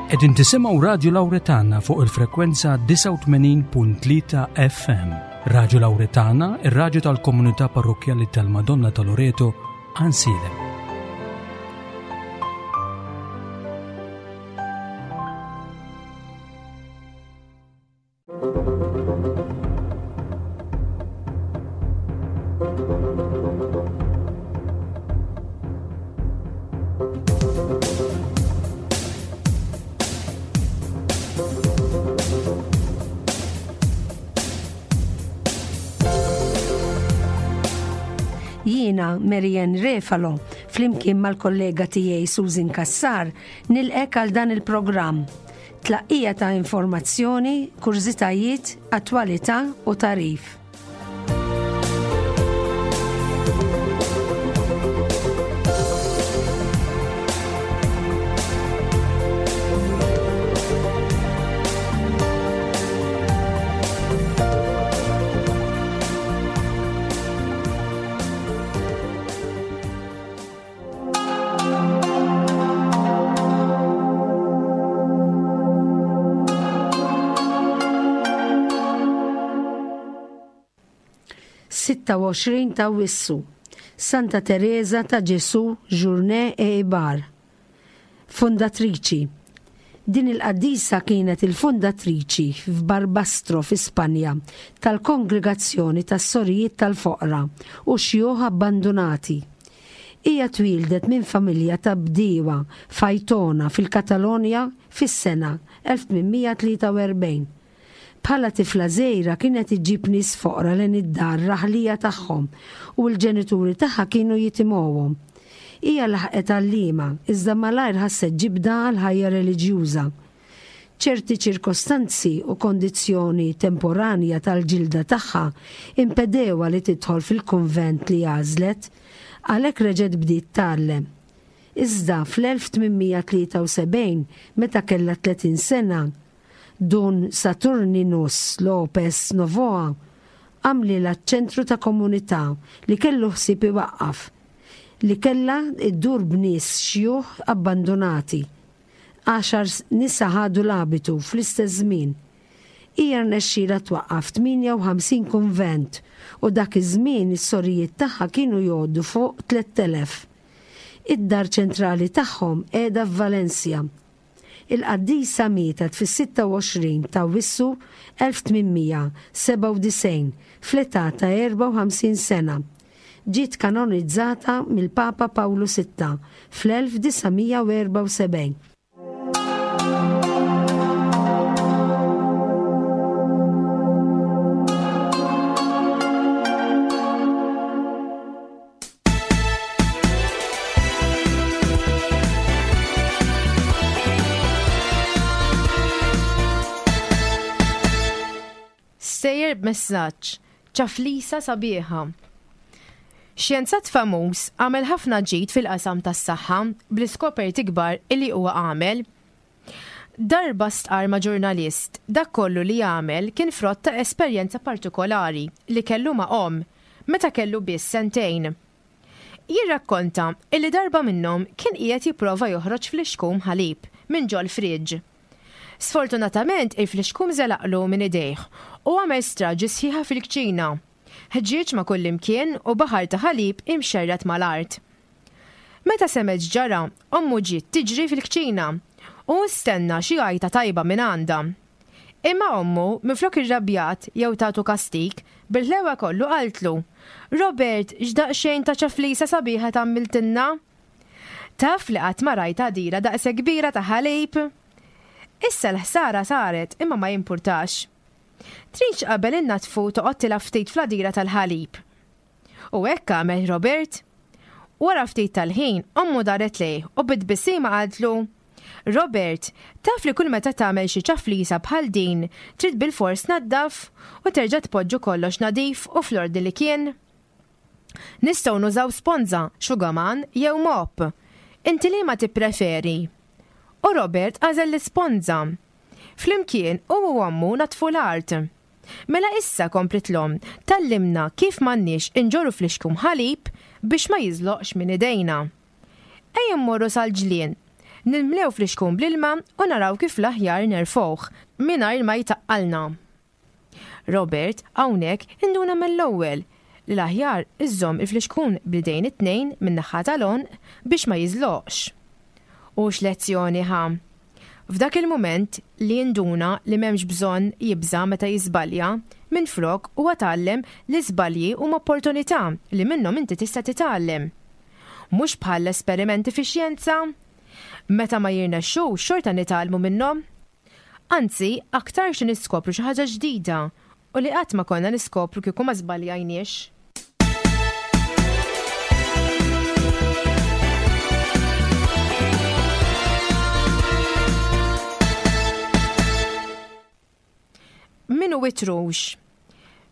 Qegħdin tisimgħu Radju Lawretana fuq il-frekwenza 89.3 FM. Radju Lawretana, ir-radju tal-komunità parrokkjali tal-Madonna ta' Loreto, Ansilem. Jiena Marianne Refalo, flimkien mal-kollega tiegħi Susan Cassar, nilqek għal dan il-programm. Tlaqqija ta' informazzjoni, kurżitajiet, attwalità u tagħrif. 26 ta' Awwissu, Santa Tereża ta' Ġesù Journet e Ibar. Fundatriċi. Din il-qaddisa kienet il-fundatriċi f'Barbastro fi Spanja tal-Kongregazzjoni tas-Sorijiet tal-Foqra u Xjuħ Abbandunati. Hija twieldet minn familja ta' bdiewa f'Aitona fil-Katalonja fis-sena 1843. Bħala tifla żgħira kienet iġġib nies foqra lejn id-dar raħlija tagħhom u l-ġenituri tagħha kienu jitimgħuhom. Hija laħqet għalliema, iżda malajr ħasset ġibda għall-ħajja reliġjuża. Ċerti ċirkostanzi u kondizzjoni temporanja tal-ġilda tagħha impedewha li tidħol fil-kunvent li għażlet, għalhekk reġgħet bdiet tgħallem. Iżda fl-1873, meta kellha 30 sena, Dun Saturninus López Novoa għamlilha ċ-ċentru ta' komunità li kellu ħsieb iwaqqaf, li kellha ddur b'nies xjuħ abbandunati. Għaxar nisa ħadu l-abitu fl-istess żmien. Hija rnexxielha twaqqaf 58 kunvent u dak iż-żmien is-sorijiet tagħha kienu jgħoddu fuq 3,000. Id-dar ċentrali tagħhom qiegħda f'Valencia. Il-qaddisa mietet fis-26 t'Awwissu 1897 fl-età ta' 54 sena. Ġiet kanonizzata mill-Papa Pawlu Sitta fl-1974. Stejjer b'messaġġ, ċaflisa sabiħa. Xjenzat famuż għamel ħafna ġid fil-qasam tas-saħħa bl-iskoperti kbar illi huwa għamel. Darba stqarr ma' ġurnalist dak kollu li għamel kien frott ta' esperjenza partikolari li kellu ma' omm meta kellu biss sentejn. Jirrakkonta illi darba minnhom kien qiegħed jipprova joħroġ flixkun ħalib minn ġol-fridge. Sfortunatament il-flixkun żelaqlu minn idejh u għamel straġi sħiħa fil-kċina. Ħġieġ ma' kullimkien u baħar ta' ħalib imxerred mal-art. Meta semgħet x'ġara, ommu ġiet tiġri fil-kċina u hu stenna xi għajta tajba mingħandha. Imma ommu, minflok irrabjat jew tatu kastig, bil-ħlewa kollu qaltlu, Robert, x'daqsxejn ta' ċaflisa sabiħa tgħammiltilna! Taf li qatt ma rajt għadira daqshekk kbira ta' ħalib! Issa l-ħsara saret imma ma jimpurtax. Tridx qabel innaddfu toqgħod tilgħab ftit fl-għadira tal-ħalib. U hekk għamel Robert. Wara ftit tal-ħin, ommu daret lejh u bi tbissima qaltlu, Robert, taf li kull meta tagħmel xi ċaflisa bħal din, trid bilfors tnaddaf u terġa' tpoġġu kollox nadif u fl-ordni li kien? Nistgħu nużaw sponża, xugaman jew mop. Inti liema tippreferi? U Robert għażel l-isponża. Flimkien, hu u ommu naddfu l-art. Mela issa, kompliet l-omm, tgħallimna kif m'għandniex inġorru flixkun ħalib biex ma jiżloqx minn idejna. Ejja mmorru sal-ġlien. Nimlew flixkun bl-ilma u naraw kif l-aħjar nerfgħuh mingħajr ma jtaqqalna. Robert hawnhekk induna mill-ewwel li l-aħjar iżżomm il-flixkun bl-idejn it-tnejn min-naħa tal-għonq biex ma jiżloqx. U x'lezzjoni ħa! F'dak il-mument li induna li m'hemmx bżonn jibża' meta jiżbalja, minflok huwa tgħallem li żbalji huma opportunità li minnhom inti tista' titgħallem. Mhux bħall-esperimenti fix-xjenza? Meta ma jirnexxux xorta nitgħallmu minnhom. Anzi, aktarx li niskopru xi ħaġa ġdida u li qatt ma konna niskopru kieku ma żbaljajniex. Min hu it-trux?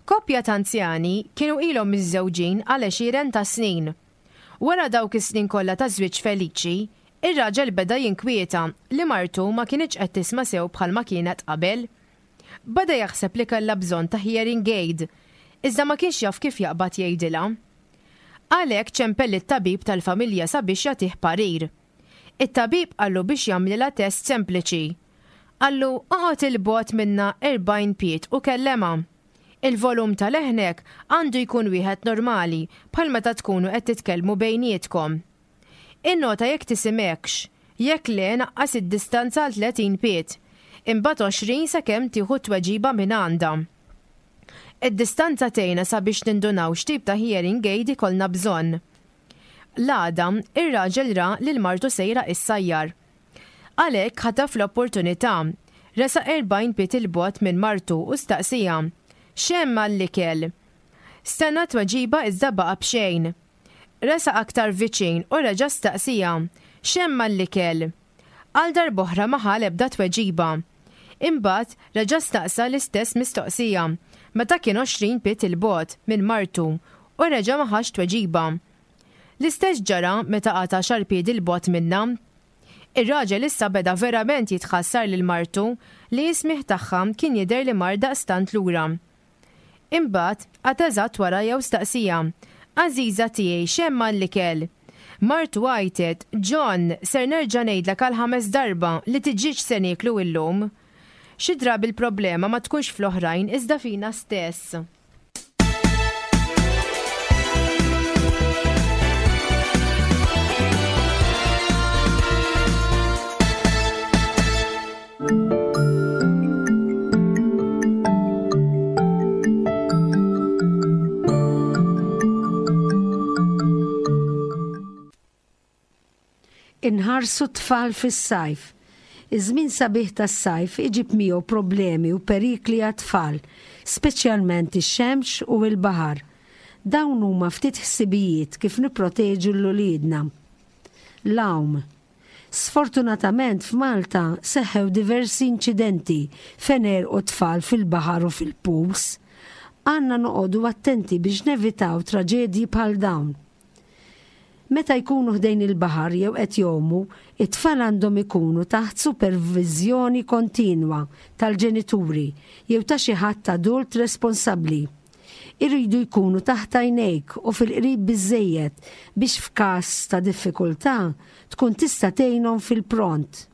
Koppja ta' anzjani kienu ilhom miżżewġin għal għexieren ta' snin. Wara dawk is-snin kollha ta' żwieġ feliċi, ir-raġel beda jinkwieta li martu ma kinitx qed tisma' sew bħalma kienet qabel. Beda jaħseb li kellha bżonn ta' hearing aid, iżda ma kienx jaf kif jaqbad jgħidilha. Għalhekk ċempel lit-tabib tal-familja sabiex jagħtih parir. It-tabib qallu biex jagħmlilha test sempliċi. Qallu oqgħod 'il bogħod minnha 40 pied u kellemha. Il-volum ta' leħnek għandu jkun wieħed normali bħal meta tkunu qed titkellmu bejnietkom. Innota jekk tisimgħekx. Jekk le naqqas id-distanza għal 30 pied. Imbagħad 20 sakemm tieħu t-tweġiba mingħandha. Id-distanza tgħinna sabiex nindunaw x'tip ta' hearing aid ikollna bżonn. L-għada, ir-raġel ra lil martu sejra issajjar. Għalhekk ħataf l-opportunità, resaq 40 pied 'il bogħod minn martu u staqsieha, X'hemm għall-ikel? Stenna tweġiba iżda baqa' b'xejn. Resaq aktar viċin u reġa' staqsieha, X'hemm għall-ikel? Għal darb'oħra ma ħa l-ebda tweġiba. Imbagħad reġa' staqsa l-istess mistoqsija meta kien 20 pied 'il bogħod minn martu u reġa' ma ħax tweġiba. L-istess ġara meta qagħad għaxar piedi 'l bogħod minnha. Ir-raġel issa beda verament jitħassar lil martu li s-smigħ tagħha kien jidher li mar daqstant lura. Imbagħad, qagħad eżatt warajha u staqsieha, Għażiża tiegħi, x'hemm għall-ikel? Martu għajtet, John, ser nerġa' ngħidlek għall-ħames darba li tiġieġ se nieklu illum. Xi drabi l-problema ma tkunx fl-oħrajn iżda fina stess. Inħarsu t-tfal fis-sajf. Iż-żmien sabiħ tas-sajf iġib miegħu problemi u perikli għat-tfal, speċjalment ix-xemx u l-baħar. Dawn huma ftit ħsibijiet kif nipproteġu 'l uliedna. L-għawm. Sfortunatament f'Malta seħħew diversi inċidenti fejn għerqu tfal fil-baħar u fil-pools. Għandna noqogħdu attenti biex nevitaw traġedji bħal dawn. Meta jkunu ħdejn il-baħar jew qed jgħumu, it-tfal għandhom ikunu taħt superviżjoni kontinwa tal-ġenituri jew ta' xi ħadd adult responsabbli. Iridu jkunu taħt għajnejk u fil-qrib biżżejjed biex f'każ ta' diffikultà tkun tista' tgħinhom fil-pront.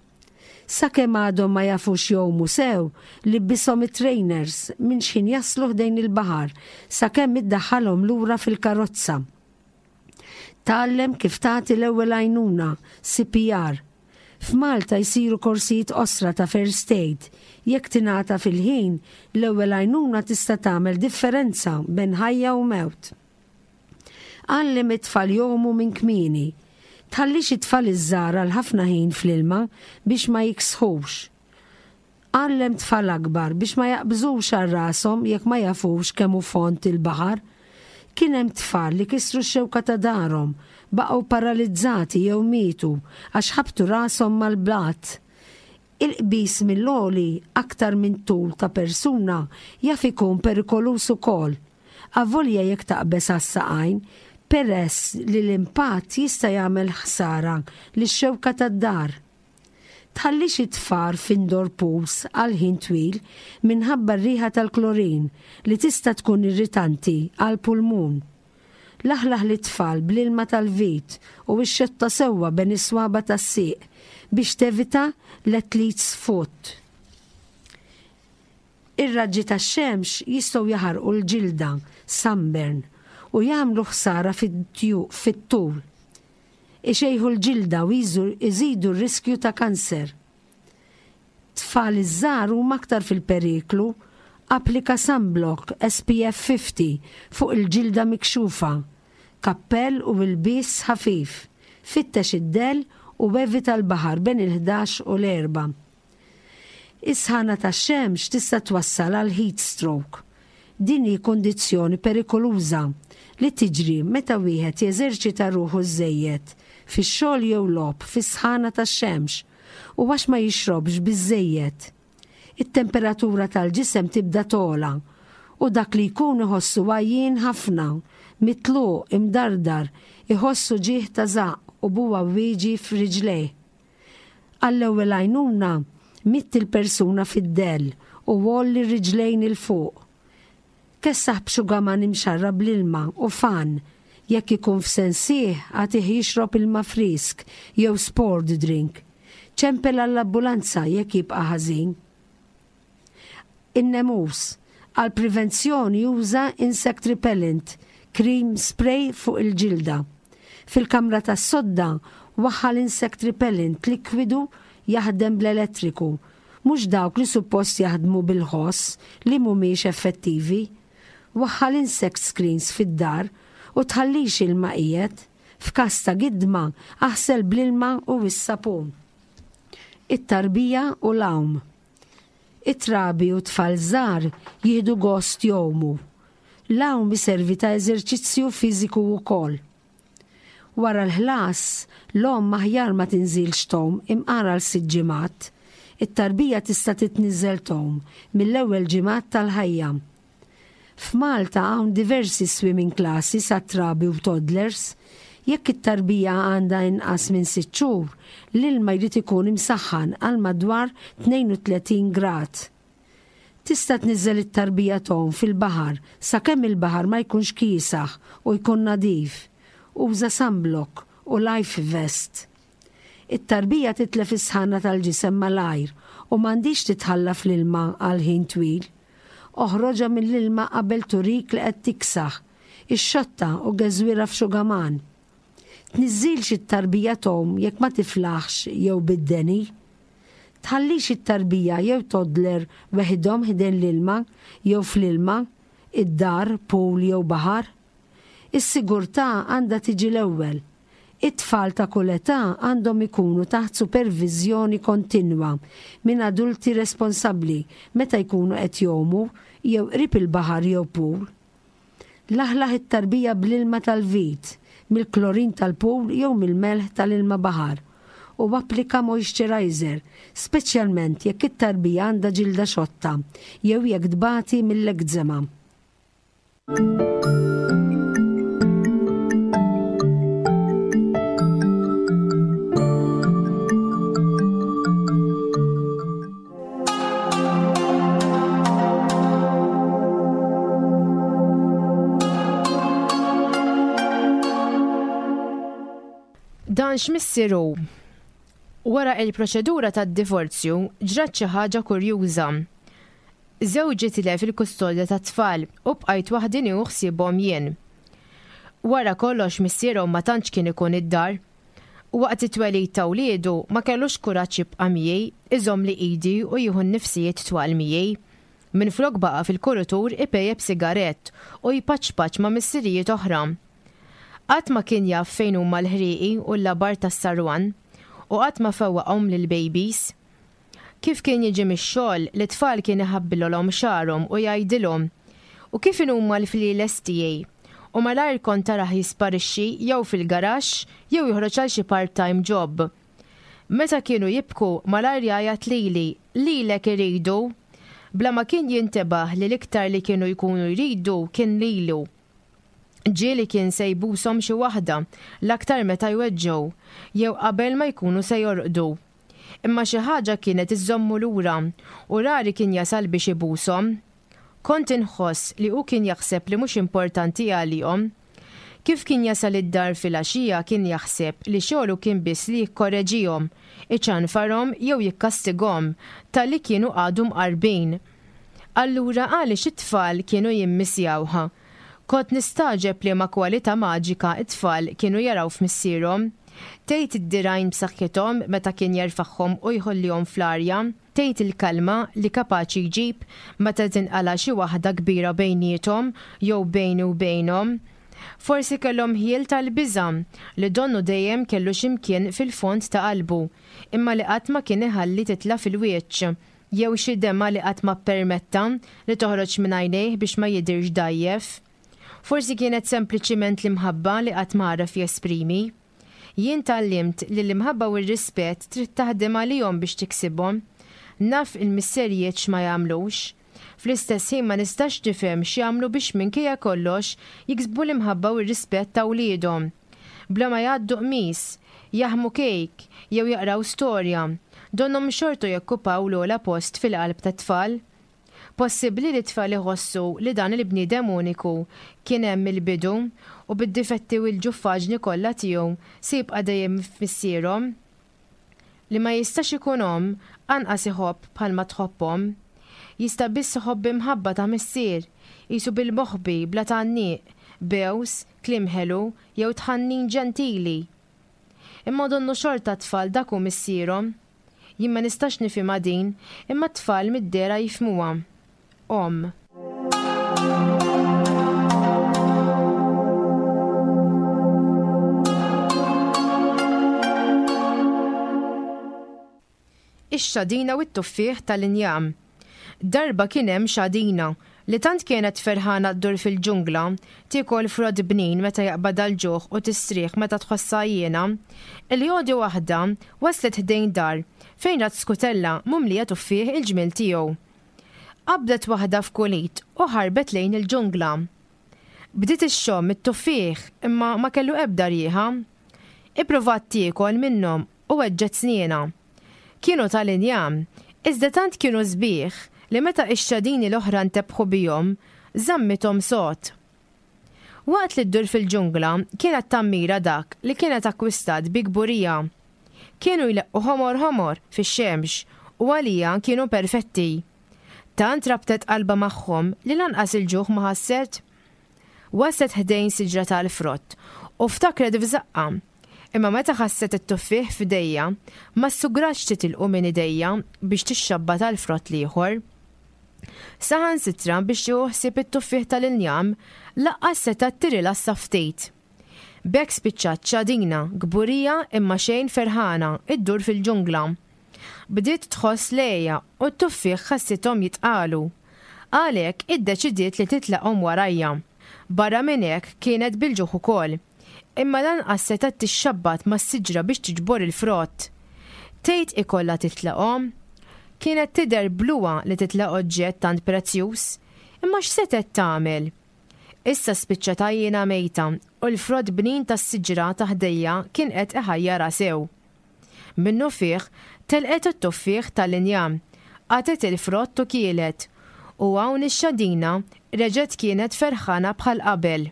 Sakemm għadhom ma jafux jgħumu sew, libbishom it-trainers minn x'ħin jaslu ħdejn il-baħar sakemm iddaħħalhom lura fil-karozza. Tgħallem kif tagħti l-ewwel għajnuna, CPR. F'Malta jsiru korsijiet qosra ta' first aid. Jekk tingħata fil-ħin, l-ewwel għajnuna tista' tagħmel differenza bejn ħajja u mewt. Għallem it-tfal jgħumu minn kmieni. Tħallix it-tfal iż-żgħar għal ħafna ħin fl-ilma biex ma jiksħux. Għallem tfal akbar biex ma jaqbżux għal rashom jekk ma jafux kemm hu fond il-baħar. Kien hemm tfal li kisru x-xewka ta' darhom, baqgħu paralizzati jew mietu għax ħabtu rashom mal-blat. Il-qbiż mill-għoli aktar minn tul ta' persuna jaf ikun perikoluż ukoll, avolja jekk taqbeż għas-saqajn, peress li l-impatt jista' jagħmel ħsara lix-xewka tad-dar. Tħallix it-tfar f'indoor pools għal ħin twil minħabba r-riħa tal-klorin li tista' tkun irritanti għall-pulmun. Laħlaħ lit-tfal bl-ilma tal-vit u ixxotta sewwa bejn is-swaba' tas-sieq biex tevita l-athlete's foot. Ir-raġġi tax-xemx jistgħu jaħarqu l-ġilda, sunburn, u jagħmlu ħsara fit-tul. Ixejħu l-ġilda u jżidu r-riskju ta' kanser. Tfal iż-żgħar huma aktar fil-periklu. Applika sunblock SPF 50 fuq il-ġilda mikxufa. Kappell u ilbies ħafif. Fittex id-dell u evita l-baħar bejn il-ħdax u l-erbgħa. Is-sħana tax-xemx tista' twassal għal heat stroke. Din hi kundizzjoni perikoluża li tiġri meta wieħed jeżerċita ruħu żżejjed fix-xogħol jew logħob fis-sħana tax-xemx u għax ma jixrobx biżżejjed. It-temperatura tal-ġisem tibda togħla u dak li jkun iħossu għajjien ħafna, mitluq, imdardar, iħoss uġigħ ta' żaqq u bugħawwieġi f'riġlejh. Għall-ewwel għajnuna, mitt il-persuna fid-dell u għolli r-riġlejn 'il fuq. Kessaħ b'xugaman imxarrab bl-ilma u fann. Jekk ikun f'sensih, agħtih jixrob ilma frisk jew sport drink. Ċempel għall-ambulanza jekk jibqa' ħażin. In-nemus. Għall-prevenzjoni uża insect repellent, cream spray fuq il-ġilda. Fil-kamra tas-sodda, waħħal insect repellent likwidu jaħdem bl-elettriku, mhux dawk li suppost jaħdmu bil-ħoss li mhumiex effettivi. Waħħal insect screens fid-dar u tħallix ilma qiegħed. F'każ ta' gidma, aħsel bl-ilma u s-sapun. It-tarbija u l-għawm. It-trabi u t-tfal żgħar jieħdu gost jgħumu. L-għawm iservi ta' eżerċizzju fiżiku wkoll. Wara l-ħlas, l-omm aħjar ma tinżilx tgħum imqar għal sitt ġimgħat. It-tarbija tista' titniżżel tgħum mill-ewwel ġimgħat tal-ħajja. F'Malta hawn diversi swimming classes għat-trabi u toddlers. Jekk it-tarbija għandha inqas minn sitt xhur, l-ilma jrid ikun imsaħħan għal madwar 32 grad. Tista' tniżżel it-tarbija tgħum fil-baħar sakemm il-baħar ma jkunx kiesaħ u jkun nadif. Uża sunblock u life vest. It-tarbija titlef is-sħana tal-ġisem malajr u m'għandhiex titħalla fl-ilma għal ħin twil. Oħroġha mill-ilma qabel turik li qed tiksaħ. Ixxottha u geżwirha f'xugaman. Tniżżilx it-tarbija tgħum jekk ma tiflaħx jew bid-deni. Tħallix it-tarbija jew toddler weħidhom ħdejn l-ilma jew fl-ilma, id-dar, pool jew baħar. Is-sigurtà għandha tiġi l-ewwel. It-tfal ta' kull età għandhom ikunu taħt superviżjoni kontinwa minn adulti responsabbli meta jkunu qed jgħumu jew qrib il-baħar jew pool. Laħlaħ it-tarbija bl-ilma tal-vit, mill-klorin tal-pool jew mill-melħ tal-ilma baħar u applika moisturizer, speċjalment jekk it-tarbija għandha ġilda xotta jew jekk tbati mill-ekzema. Dan x'missier hu? Wara il-proċedura tad-divorzju ġrat xi ħaġa kurjuża. Żewġi tilef il-kustodja tat-tfal u bqajt waħdi nieħu ħsiebhom jien. Wara kollox missierhom ma tantx kien ikun id-dar. Waqt it-twelid ta' wliedu ma kellux kuraġġ jibqa' miegħi, iżommli idi u jieħu n-nifsijiet twal miegħi. Minflok baqa' fil-kuritur ipejjep sigarett u jpaċpaċ ma' missirijiet oħra. Qatt ma kien jaf fejn huma l-ħrieqi u l-labar tas-sarwan u qatt ma fewwaqhom lill-babies. Kif kien jiġi mix-xogħol, lit-tfal kien iħabbilolhom xagħarhom u jgħidilhom, U kif inhuma l-flieles tiegħi? U malajr kont tarah jisparixxi jew fil-garaxx jew joħroġ għal xi part-time job. Meta kienu jibku, malajr jgħajjat lili, Lilek iridu! Bla ma kien jintebaħ li l-iktar li kienu jkunu jridu kien lilu. Ġieli kien se jbushom xi waħda, l-aktar meta jweġġgħu, jew qabel ma jkunu se jorqdu. Imma xi ħaġa kienet iżżommu lura u rari kien jasal biex ibushom. Kont inħoss li hu kien jaħseb li mhux importanti għalihom. Kif kien jasal id-dar filgħaxija kien jaħseb li xogħlu kien biss li jikkoreġihom, iċanfarhom jew jikkastigahom talli kienu qagħdu mqarrbin. Allura għaliex it-tfal kienu jimmisjawh? Kont nistagħġeb liema kwalità maġika t-tfal kienu jaraw f'missierhom. Tgħid id-dirgħajn b'saħħithom meta kien jerfagħhom u jħollihom fl-arja? Tgħid il-kalma li kapaċi jġib meta tinqala' xi waħda kbira bejniethom jew bejni u bejnhom? Forsi kellhom ħjiel tal-biża' li donnu dejjem kellu xi mkien fil-fond ta' qalbu, imma li qatt ma kien iħalli titla' fil-wiċċ, jew xi demgħa li qatt ma ppermetta li toħroġ minn għajnejh biex ma jidhirx dgħajjef. Forsi kienet sempliċiment l-imħabba li qatt ma għaraf jesprimi. Jien tgħallimt li l-imħabba u r-rispett trid taħdem għalihom biex tiksibhom. Naf il-misserijiet x'ma jagħmlux. Fl-istess ħin ma nistax nifhem x'jagħmlu biex minkejja kollox jiksbu l-imħabba u r-rispett ta' wliedhom. Bla ma jgħaddu qmis, jaħmu kejk, jew jaqraw storja, donnhom xorta jokkupaw l-ogħla post fil-qalb tat-tfal. Possibbli li t-tfal iħossu li dan il-bniedem uniku kien hemm mill-bidu u bid-difetti u l-ġuffaġni kollha tiegħu se jibqa' dejjem missierhom? Li ma jistax ikun omm, anqas iħobb bħalma tħobb omm. Jista' biss iħobb b'imħabba ta' missier, qisu bil-moħbi, bla tgħanniq, bews, kliem ħelu jew tħannin ġentili. Imma donnu xorta t-tfal dak hu missierhom. Jien ma nistax nifhimha din, imma t-tfal mid-dehra jifhmuha. Omm. Ix-xadina u t-tuffieħ tal-injam. Darba kien hemm xadina li tant kienet ferħana ddur fil-ġungla, tiekol frott bnin meta jaqbadha l-ġuħ u tistrieħ meta tħossha għajjiena, illi għodi waħda waslet ħdejn dar fejn rat skutella mumlija tuffieħ il-ġmiel tiegħu. Qabdet waħda f'kull id u ħarbet lejn il-ġungla. Bdiet ixxomm it-tuffieħ imma ma kellu ebda rieħa. Ippruvat tiekol minnhom u weġġgħet snienha. Kienu tal-injam, iżda tant kienu sbieħ li meta x-xadini l-oħra ntebħu bihom, żammithom sod. Waqt li ddur fil-ġungla, kienet tammira dak li kienet akkwistat bi kburija. Kienu jleqqu ħomor ħomor fix-xemx u għaliha kienu perfetti. Tant rabtet qalbha magħhom li lanqas il-ġuħ ma ħasset. Waslet ħdejn siġra tal-frott u ftakret f'żaqqha. Imma meta ħasset it-tuffieħ f'idejha, ma ssugratx titilqu minn idejha biex tixxabbat għall-frott l-ieħor. Saħansitra biex tieħu ħsieb it-tuffieħ tal-injam, laqqas setgħet tirilassa ftit. B'hekk spiċċat xadina, kburija imma xejn ferħana, iddur fil-ġungla. Bdiet tħoss l-għeja u t-tuffieħ ħassithom jitqalu. Għalhekk iddeċidiet li titlaqhom warajha. Barra minn hekk kienet bil-ġuħ ukoll. Imma lanqas setgħet tixxabbat mas-siġra biex tiġbor il-frott. Tgħid ikollha titlaqhom? Kienet tidher bluha li titlaq oġġett tant prezzjuż. Imma x'setgħet tagħmel? Issa spiċċat għajjiena mejta u l-frott bnin tas-siġra ta' ħdejha kien qed iħajjarha sew. Minnufih, telqet it-tuffieħ tal-injam, qatgħet il-frott u kielet, u hawn ix-xadina reġgħet kienet ferħana bħal qabel.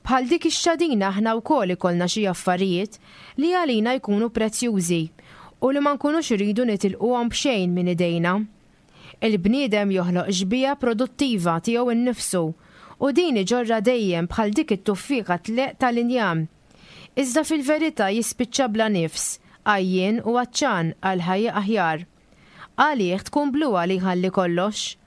Bħal dik ix-xadina aħna wkoll ikollna xi affarijiet li għalina jkunu prezzjużi u li ma nkunux irridu nitilquhom b'xejn minn idejna. Il-bniedem joħloq xbieha produttiva tiegħu nnifsu u din iġorrha dejjem bħal dik it-tuffieħa tleqq tal-injam. Iżda fil-verità jispiċċa bla nifs, għajjien u għatxan għal ħajja aħjar. Għalih tkun bluha li jħalli kollox.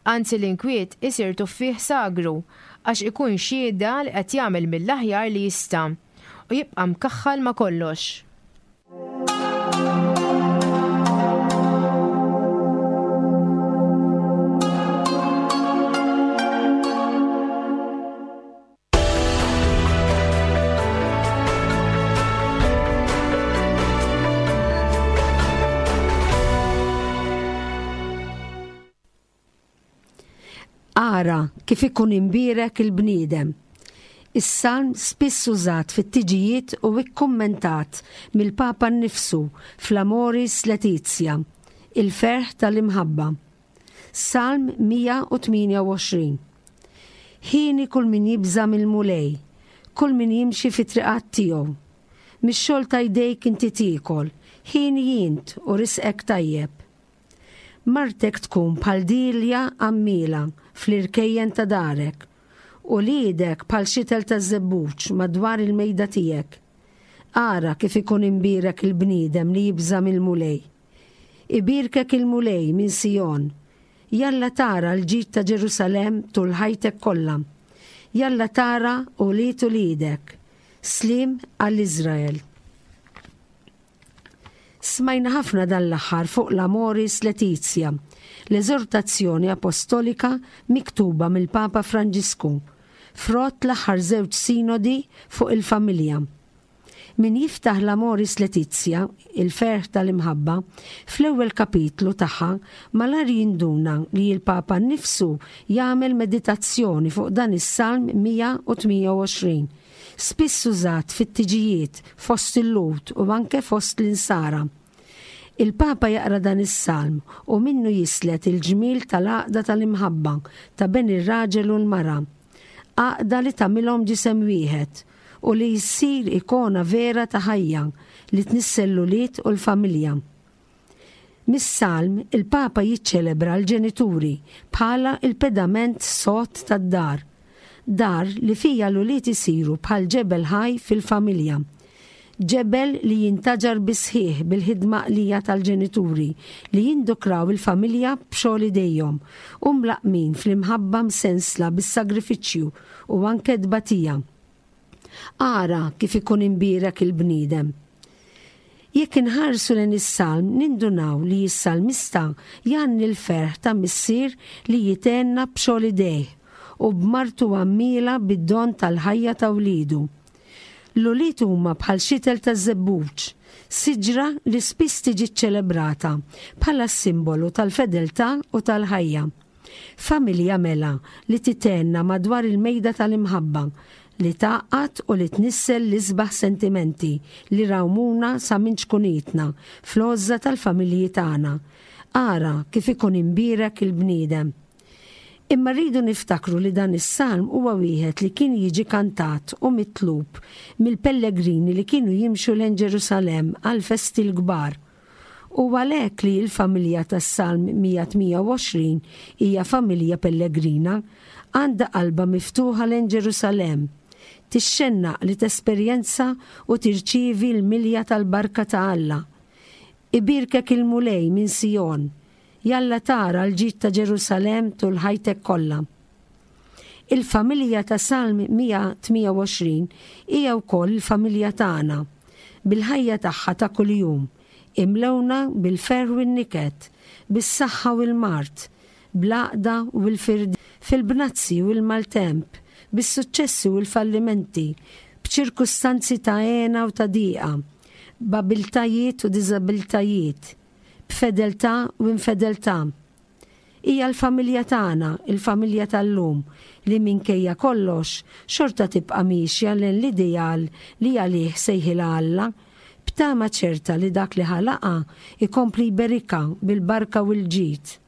Anzi l-inkwiet isir tuffieħ sagru għax ikun xhieda li qed jagħmel mill-aħjar li jista' u jibqa' mkaħħal ma' kollox. Ara kif ikun imbierek il-bniedem. Is-salm spiss użat fit-tiġijiet u ikkummentat mill-Papa nnifsu fl-Amoris Laetitia, il-ferħ tal-imħabba. Salm 128. Hieni kull min jibża' mill-Mulej, kull min jimxi fit-triqat tiegħu. Mix-xogħol ta' jdejk inti tiekol, hieni int u risqek tajjeb. Martek tkun bħal dielja għammiela fl-irkejjen ta' darek, uliedek bħal xitel taż-żebbuġ madwar il-mejda tiegħek. Ara kif ikun imbierek il-bniedem li jibża' mill-Mulej. Ibierkek il-Mulej minn Sijon. Jalla tara l-ġid ta' Ġerusalemm tul ħajtek kollha. Jalla tara ulied uliedek. Sliem għal Iżrael. Smajna ħafna dan l-aħħar fuq l-Amoris Laetitia, l-eżortazzjoni apostolika miktuba mill-Papa Franġisku, frott l-aħħar żewġ sinodi fuq il-familja. Min jiftaħ l-Amoris Laetitia, il-ferħ tal-imħabba, fl-ewwel kapitlu tagħha malajr jinduna li l-Papa nnifsu jagħmel meditazzjoni fuq dan is-Salm 128, spiss użat fit-tiġijiet fost il-Lhud u anke fost l-Insara. Il-Papa jaqra dan is-Salm u minnu jislet il-ġmiel tal-għaqda tal-imħabba ta' bejn ir-raġel u l-mara, għaqda li tagħmilhom ġisem wieħed u li jsir ikona vera ta' ħajja li tnissel l-ulied u l-familja. Mis-Salm, il-Papa jiċċelebra l-ġenituri bħala l-pedament sod tad-dar. Dar li fiha l-ulied isiru bħal ġebel ħaj fil-familja. Ġebel li jintaġar bis-sħiħ bil-ħidma għaqlija tal-ġenituri li jindukraw il-familja b'xogħol idejhom u mlaqqmin fl-imħabba msensla bis-sagrifiċċju u anke t-tbatija. Ara kif ikun imbierek il-bniedem! Jekk inħarsu lejn is-salm nindunaw li s-salmista jgħanni l-ferħ ta' missier li jithenna b'xogħol idejh u b'martu għammiela bid-don tal-ħajja ta' wliedu. L-ulied huma bħal xitel taż-żebbuġ, siġra li spiss tiġi ċċelebrata bħala s-simbolu tal-fedeltà u tal-ħajja. Familja mela li tithenna madwar il-mejda tal-imħabba, li tgħaqqad u li tnissel l-isbaħ sentimenti li rawmuna sa minn ċkunitna fl-għożża tal-familji tagħna. Ara kif ikun imbierek il-bniedem! Imma rridu niftakru li dan is-salm huwa wieħed li kien jiġi kantat u mitlub mill-pellegrini li kienu jimxu lejn Ġerusalemm għall-festi l-kbar. Hu għalhekk li l-familja tas-Salm 128 hija familja pellegrina, għandha qalbha miftuħa lejn Ġerusalemm. Tixxennaq li tesperjenza u tirċievi l-milja tal-barka ta' Alla. Ibierkek il-Mulej minn Sijon, Jalla tara l-ġid ta' Ġerusalemm tul ħajtek kollha. Il-familja ta' Salm 128 hija wkoll il-familja tagħna, bil-ħajja tagħha ta' kuljum, imlewna bil-ferħ u n-niket, bis-saħħa u l-mard, bl-għaqda u l-firdiet, fil-bnazzi u l-maltemp, bis-suċċessi u l-fallimenti, b'ċirkustanzi ta' hena u ta' dieqa, b'abiltajiet u diżabiltajiet, b'fedeltà u infedeltà. Hija l-familja tagħna, il-familja tal-lum, li minkejja kollox, xorta tibqa' miexja lejn l-ideal li għalih sejħilha Alla, b'tama ċerta li dak li ħalaqha jkompli jberikha bil-barka u l-ġid.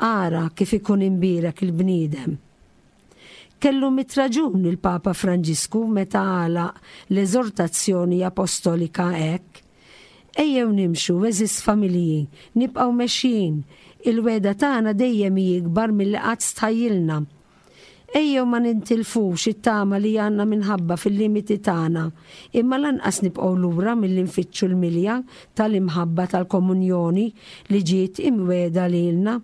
Ara kif ikun imbierek il-bniedem! Kellu mitt raġun il-Papa Franġisku meta għalaq l-eżortazzjoni apostolika hekk, Ejjew nimxu, għeżież familji, nibqgħu mexjin, il-wegħda tagħna dejjem hi ikbar milli qatt stħajjilna. Ejjew ma nintilfux it-tama li għandna minħabba fil-limiti tagħna, imma lanqas nibqgħu lura milli nfittxu l-milja tal-imħabba tal-komunjoni li ġiet imwiegħda lilna.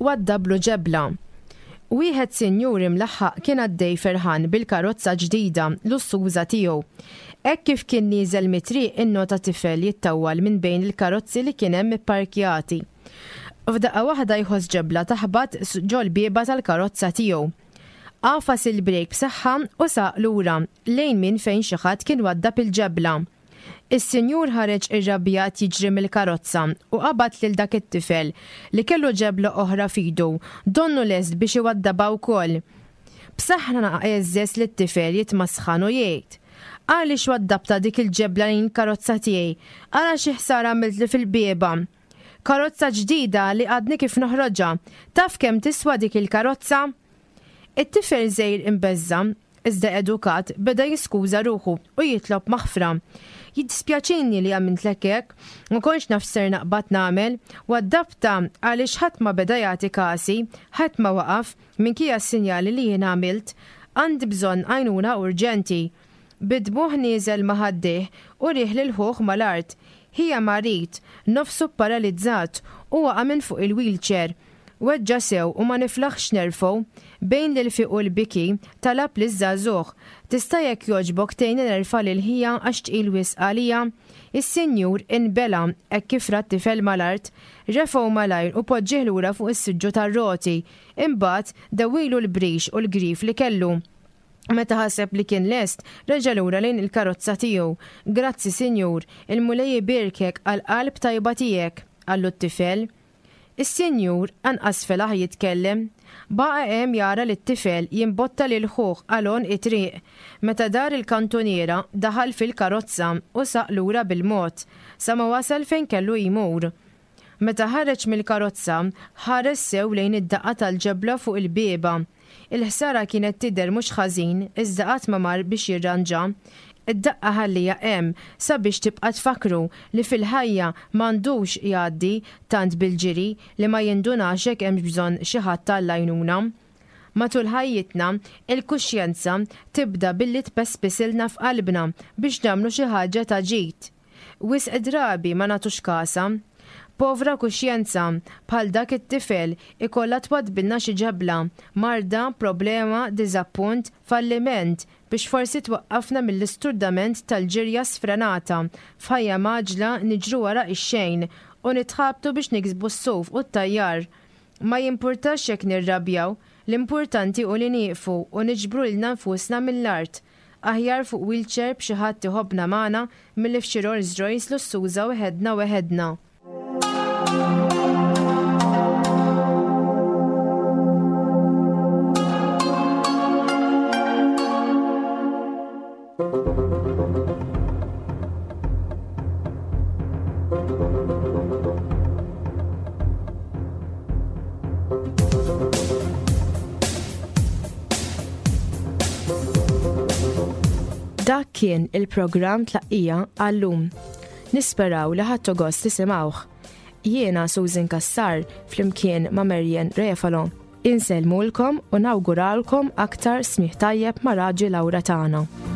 Waddablu ġebla. Wieħed sinjur imlaħħaq kien għaddej ferħan bil-karozza ġdida lussuża tiegħu. Hekk kif kien nieżel mit-triq innota tifel jittawwal minn bejn il-karozzi li kien hemm ipparkjati. F'daqqa waħda jħoss ġebla taħbat ġol-bieba tal-karozza tiegħu. Għafas il-brejk b'saħħa u saq lura lejn minn fejn xi ħadd kien waddab il-ġebla. Is-sinjur ħareġ irrabjat jiġri mill-karozza u qabad lil dak it-tifel li kellu ġebla oħra f'idu, donnu lest biex iwaddabha wkoll. B'saħħna għeżżeż lit-tifel jitmasħan u jgħid, Għaliex waddabtha dik il-ġebla lejn il-karozza tiegħi? Ara xi ħsara għamiltli fil-bieba! Karozza ġdida li għadni kif noħroġha. Taf kemm tiswa dik il-karozza? It-tifel żgħir imbeżża', iżda edukat, beda jiskuża ruħu u jitlob maħfra. Jiddispjaċini li għamiltlek hekk, ma kontx naf x'ser naqbad nagħmel. Waddabtha għaliex ħadd ma beda jagħti kasi, ħadd ma waqaf, minkejja s-sinjali li jien għamilt. Għandi bżonn għajnuna urġenti. Bid-dmugħ nieżel ma' ħaddejh u rieh lil ħuh mal-art. Ħija marid, nofsu pparalizzat u waqa' minn fuq il-wheelchair. Weġġa' sew u ma niflaħx nerfgħu. Bejn l-ilfiq u l-biki, talab liż-żagħżugħ, Tista' jekk jogħġbok tgħinni nerfa' lil ħija għax tqil wisq għalija? Is-sinjur inbela' hekk kif ra t-tifel mal-art. Refgħu malajr u poġġieh lura fuq is-siġġu tar-roti. Imbagħad, dewwilu l-brix u l-grif li kellu. Meta ħaseb li kien lest, reġa' lura lejn il-karozza tiegħu. Grazzi, sinjur, il-Mulej ibierkek għall-qalb tajba tiegħek, qallu t-tifel. Is-sinjur anqas felaħ jitkellem. Baqa' hemm jara lit-tifel jimbotta lil ħuh għal għonq it-triq. Meta dar il-kantuniera, daħal fil-karozza u saq lura bil-mod, sa ma wasal fejn kellu jmur. Meta ħareġ mill-karozza, ħares sew lejn id-daqqa tal-ġebla fuq il-bieba. Il-ħsara kienet tidher mhux ħażin iżda qatt ma mar biex jirranġa. Id-daqqa ħalliha hemm sabiex tibqa' tfakkru li fil-ħajja m'għandux jgħaddi tant bil-ġiri li ma jindunax jekk hemmx bżonn xi ħadd għall-għajnuna. Matul ħajjitna, il-kuxjenza tibda billi tpespisilna f'qalbna biex nagħmlu xi ħaġa ta' ġid. Wisq drabi ma nagħtux kasha. Povra kuxjenza, bħal dak it-tifel, ikollha twaddbilna xi ġebla, marda, problema, diżappunt, falliment, biex forsi twaqqafna mill-isturdament tal-ġirja sfrenata, f'ħajja mgħaġġla niġru wara x-xejn u nitħabtu biex niksbu s-suf u t-tajjar. Ma jimpurtax jekk nirrabjaw, l-importanti hu li nieqfu u niġbru lilna nfusna mill-art. Aħjar fuq wheelchair b'xi ħadd iħobbna magħna milli f'xi Rolls Royce lussuża weħedna weħedna. Dak kien il-programm Tlaqqija għal-lum. Nisperaw li ħadtu gost tisimgħuh. Jiena Susan Cassar flimkien ma' Marian Refalo. Insellmulkom u nawguralkom aktar smigħ tajjeb ma' Raġi Laura tagħna.